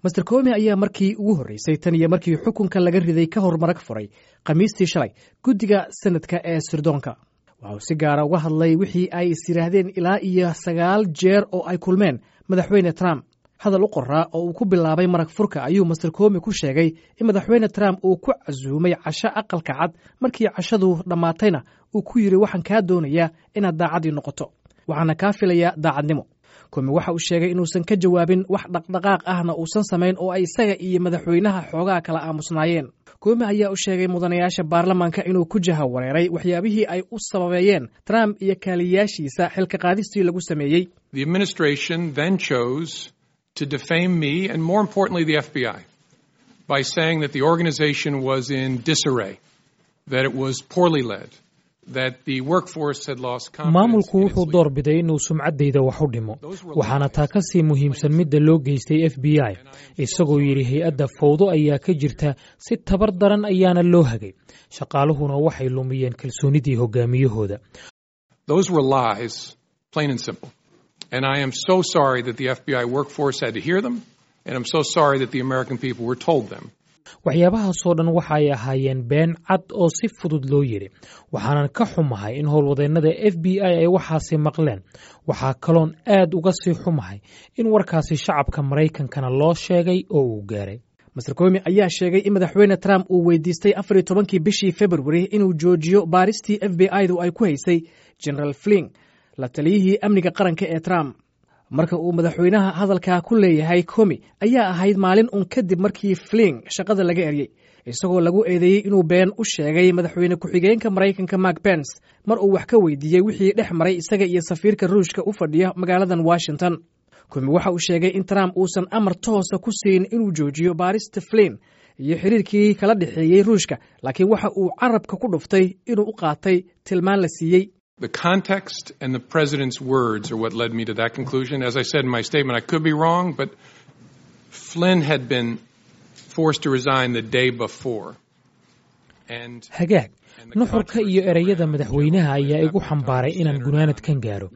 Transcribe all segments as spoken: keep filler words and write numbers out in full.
Mister Comey ayaa markii ugu horreysay tan iyo markii xukunka laga riday ka hor marag furay Khamiistii shalay guddiga Senadka ee sirdoonka. Waxa uu si gaara uga hadlay wixii ay is yidhaahdeen ilaa iyo sagaal jeer oo ay kulmeen Madaxweyne Trump. Hadal u qoraa oo uu ku bilaabay marag furka ayuu Mister Comey ku sheegay in Madaxweyne Trump uu ku casuumay casho Aqalka Cad, markii cashadu dhammaatayna uu ku yidhi: "Waxaan kaa doonayaa inaad daacaddii noqoto, waxaana kaa filayaa daacadnimo." Comey waxa uu sheegay inuusan ka jawaabin, wax dhaqdhaqaaq ahna uusan samayn, oo ay isaga iyo madaxweynaha xoogaa kala aamusnaayeen. Comey ayaa u sheegay mudanayaasha baarlamaanka inuu ku jaha wareeray waxyaabihii ay u sababeeyeen Trump iyo kaaliyaashiisa xilka qaadistii lagu sameeyey. The administration then chose to defame me and, more importantly, the F B I by saying that the organization was in disarray, that it was poorly led, that the workforce had lost confidence. Maamulku wuxuu door biday inuu sumcaddayda wax u dhimo, waxaana taa ka sii muhiimsan midda loo geystay F B I, isagoo yidhi hay-adda fowdo ayaa ka jirta, si tabar daran ayaana loo hagay, shaqaaluhuna waxay lumiyeen kalsoonidii hogaamiyahooda. Those were lies, plain and simple. And I am so sorry that the F B I workforce had to hear them, and I'm so sorry that the American people were told them. Waxyaabahaasoo dhan waxa ay ahaayeen been cad oo si fudud loo yidhi, waxaanan ka xumahay in howlwadeennada F B I ay waxaasi maqleen. Waxaa kaloon aad uga sii xumahay in warkaasi shacabka Maraykankana loo sheegay oo uu gaaray. Mister Comey ayaa sheegay in Madaxweyne Trump uu weydiistay afar iyo tobankii bishii Februari inuu joojiyo baaristii F B I du ay ku haysay General Flynn, la taliyihii amniga qaranka ee Trump. Marka uu madaxweynaha hadalkaa ku leeyahay Comey ayaa ahayd maalin un kadib markii Flynn shaqada laga eryey, isagoo lagu eedeeyey inuu been u sheegay madaxweyne ku-xigeenka Maraykanka Mike Pence mar uu wax ka weydiiyey wixii dhex maray isaga iyo safiirka Ruushka u fadhiya magaaladan Washington. Comey waxa uu sheegay in Trump uusan amar toosa ku siin inuu joojiyo baarista Flynn iyo xiriirkii kala dhexeeyey Ruushka, laakiin waxa uu carabka ku dhuftay inuu u qaatay tilmaan la siiyey. The context and the president's words are what led me to that conclusion. As I said in my statement, I could be wrong, but Flynn had been forced to resign the day before. And Hagaag, nuxurka iyo ereyada madaxweynaha ayaa igu xambaaray inaan gunaanadkan gaaro.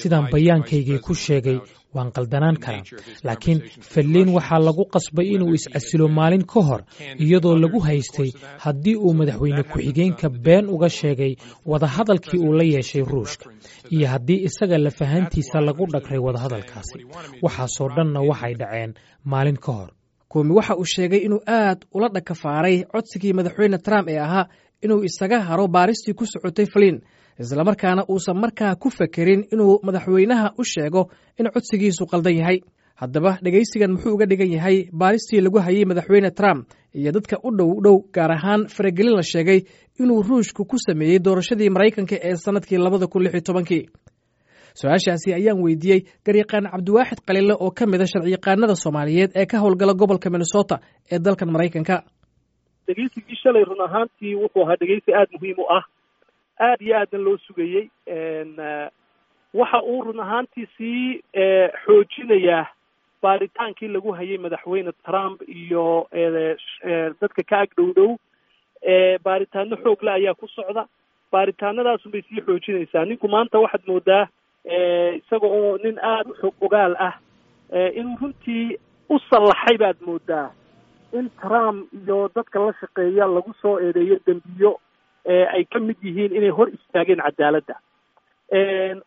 Sidaan bayaankaygii ku sheegay, waan qaldanaan karaa, laakiin Flynn waxaa lagu qasbay inuu iscasilo maalin ka hor, iyadoo lagu haystay haddii uu madaxweyne ku-xigeenka been uga sheegay wadahadalkii uu la yeeshay Ruushka iyo haddii isaga lafahantiisa lagu dhagray wadahadalkaasi. Waxaasoo dhanna waxay dhaceen maalin ka hor. Comey waxa uu sheegay inuu aad ula dhakafaaray codsigii Madaxweyne Trump ee ahaa inuu isaga haro baaristii ku socotay Flynn, islamarkaana uusan markaa ku fekerin inuu madaxweynaha u sheego in codsigiisu qaldan yahay. Haddaba, dhegaysigan muxuu uga dhigan yahay baaristii lagu hayay Madaxweyne Trump iyo dadka u dhow dhow, gaar ahaan faragelin la sheegay inuu Ruushku ku sameeyey doorashadii Maraykanka ee sannadkii labada kun lix iyo tobankii? Su-aashaasi ayaan weydiiyey garyaqaan Cabdiwaaxid Qalile oo ka mid a sharciyaqaanada Soomaaliyeed ee ka howlgala gobolka Minnesota ee dalkan Maraykanka. Dhegeysigii shalay run ahaantii wuxuu ahaa dhegeysi aada muhiim u ah, aada iyo aadna loo sugayey. Waxa uu run ahaantii sii xoojinayaa baaritaankii lagu hayay Madaxweyne Trump iyo dadka ka ag dhow dhow. Baaritaano xoogle ayaa ku socda, baaritaanadaasun bay sii xoojinaysaa. Ninku maanta waxaad moodaa isaga oo nin aada u xog ogaal ah inuu runtii u sallaxay baad moodaa in Trump iyo dadka la shaqeeya lagu soo eedeeyo dembiyo ay ka mid yihiin inay hor istaageen cadaaladda,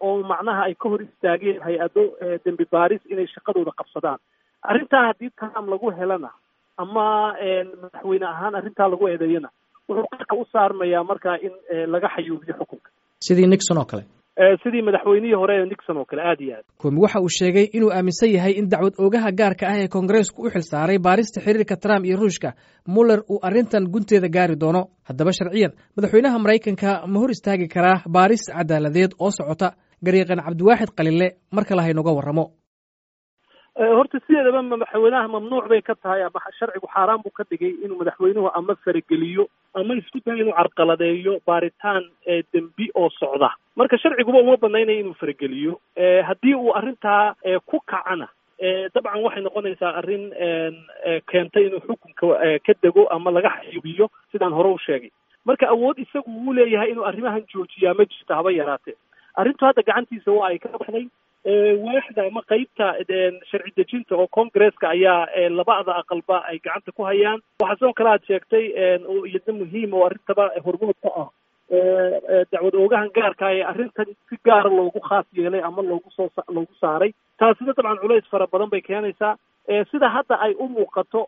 oo macnaha ay ka hor istaageen hay-ado dembi baaris inay shaqadooda qabsadaan. Arrintaa haddii Trump lagu helana ama madaxweyne ahaan arrintaa lagu eedeeyana, wuxuu qarka u saarmayaa markaa in laga xayuubiyo xukunka. Sidii Nixon oo kale. Sidii madaxweynihii hore ee Nixon oo kale, aad iyo aad. Comey waxa uu sheegay inuu aaminsan yahay in dacwad oogaha gaarka ah ee Koongareesku u xil saaray baarista xiriirka Trump iyo Ruushka, Muller, uu arrintan gunteeda gaari doono. Haddaba, sharciyan madaxweynaha Maraykanka ma hor istaagi karaa baaris cadaaladeed oo socota? Garyaqaan Cabdiwaaxid Qalile mar kale haynoga warramo. Horta sideedaba madaxweynaha mamnuuc bay ka tahay ama sharcigu xaaraan buu ka dhigay inuu madaxweynuhu ama farageliyo ama isku dayo inuu carqaladeeyo baaritaan dembi oo socda. Marka sharciguba uma banaynaya inuu farageliyo. Haddii uu arrintaa ku kacana, dabcan waxay noqonaysaa arrin keentay inuu xukunka ka dego ama laga xayubiyo, sidaan hore u sheegay. Marka awood isagu uu leeyahay inuu arrimahan joojiyaa ma jirto haba yaraatee. Arrintu hadda gacantiisa waa ay ka baxday. Waaxda ama qeybta sharci dejinta oo Congresska ayaa labada aqalba ay gacanta ku hayaan. Waxaa sidoo kale aad sheegtay oo iyadna muhiim oo arrintaba hormood ka ah, dacwad oogahan gaarka ee arrintan si gaara loogu khaas yeelay ama loogu soo loogu saaray. Taasina dabcan culays fara badan bay keenaysaa. Sida hadda ay u muuqato,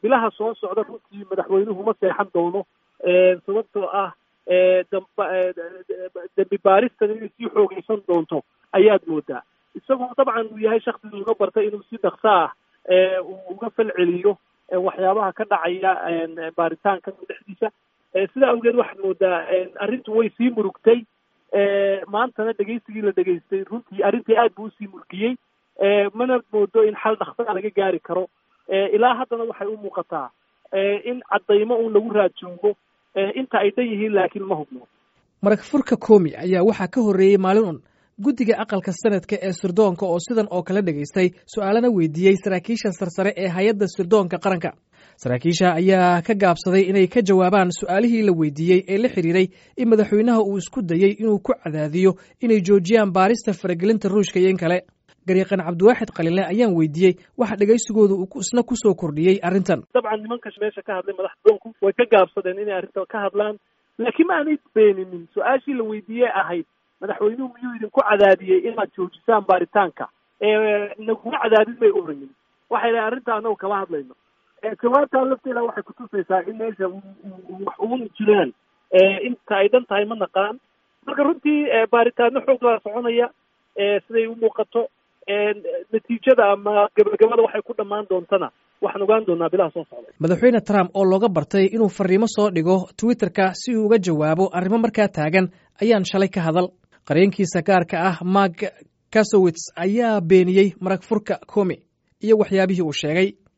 bilaha soo socda runtii madaxweynuhu ma seexan doono, sababtoo ah dembi baaristan inay sii xoogaysan doonto ayaad moodaa, isagoo dabcan uu yahay shaksi looga bartay inuu si dhaqso ah uu uga falceliyo waxyaabaha ka dhacaya baaritaanka dhexdiisa. Sidaa awgeed waxaad moodaa arrintu way sii murugtay. Maantana dhegeysigii la dhegeystay runtii arrintii aad buu usii murgiyey, mana moodo in xal dhaqsaa laga gaari karo. Ilaa haddana waxay u muuqataa in caddaymo uun lagu raad joogo, inta ay dhan yihiin laakiin ma hubno. Marag furka Komi ayaa waxaa ka horreeyey maalin un guddiga aqalka sanadka ee sirdoonka oo sidan oo kale dhegaystay, su-aalana weydiiyey saraakiisha sarsare ee hay-adda sirdoonka qaranka. Saraakiisha ayaa ka gaabsaday inay ka jawaabaan su-aalihii la weydiiyey ee la xiriiray in madaxweynaha uu isku dayey inuu ku cadaadiyo inay joojiyaan baarista faragelinta Ruushka iyo in kale. Garyaqaan Cabdiwaaxid Qalinle ayaan weydiiyey waxa dhegaysigooda uu isna ku soo kordhiyey arrintan. Dabcan nimanka meesha ka hadlay madaxda doonku way ka gaabsadeen inay arrintan ka hadlaan, laakiin ma aanay beeninin su-aashii la weydiiyey ahayd: madaxweynuhu miyuu idinku cadaadiyey inaad joojisaan baaritaanka? Naguma cadaadin bay oranin. Waxay dhahay arrinta annagu kama hadlayno. Jawaabtaa lafteeda waxay kutusaysaa in meesha wax uun jiraan, inta ay dhan tahay ma naqaan. Marka runtii baaritaano xoog laa soconaya siday u muuqato. Natiijada ama gabagabada waxay ku dhammaan doontana waxaan ogaan doonaa bilaha soo socda. Madaxweyne Trump oo looga bartay inuu fariimo soo dhigo Twitterka si uu uga jawaabo arrimo markaa taagan ayaan shalay ka hadal. Qareenkiisa gaarka ah Mark Kasowitz ayaa beeniyey marag furka Komi iyo waxyaabihii uu sheegay.